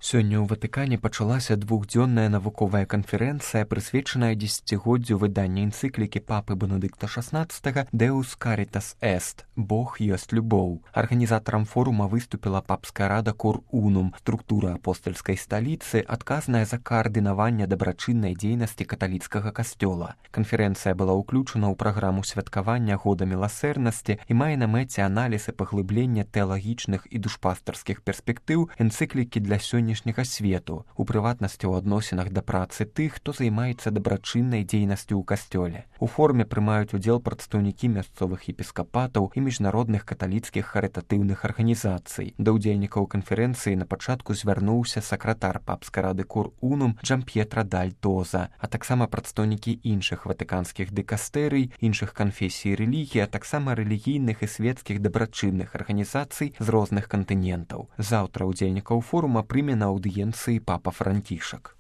Сёння ў Ватыкане пачалася двухдзённая навуковая канферэнцыя, прысвечаная дзесяцігоддзю выдання энцыклікі папы Бенедыкта XVI «Deus Caritas Est» – «Бог ёсць любоў». Арганізатарам форума выступіла папская рада Cor Unum, структура апостальскай сталіцы, адказная за каардынаванне дабрачыннай дзейнасці каталіцкага касцёла. Канферэнцыя была ўключана ў праграму святкавання года міласэрнасці і мае на мэце аналіз і паглыблення тэалагічных і душпастарскіх перспектыў энцыклікі для сённяшняга свету, у прыватнасці ў адносінах да працы тых, хто займаецца дабрачыннай дзейнасцю ў касцёле. У форуме прымаюць удзел прадстаўнікі мясцовых епіскапатаў і міжнародных каталіцкіх харытатыўных арганізацый. Да ўдзельнікаў канферэнцыі на пачатку звярнуўся сакратар папскай рады Cor Unum Джамп'етра Даль Тоза, а таксама прадстаўнікі іншых ватыканскіх дыкастэрый, іншых канфесій рэлігій, а таксама рэлігійных і свецкіх дабрачынных арганізацый з розных кантынентаў. Заўтра ўдзельнікаў форума прыме на аўдыенцыі папа Францішак.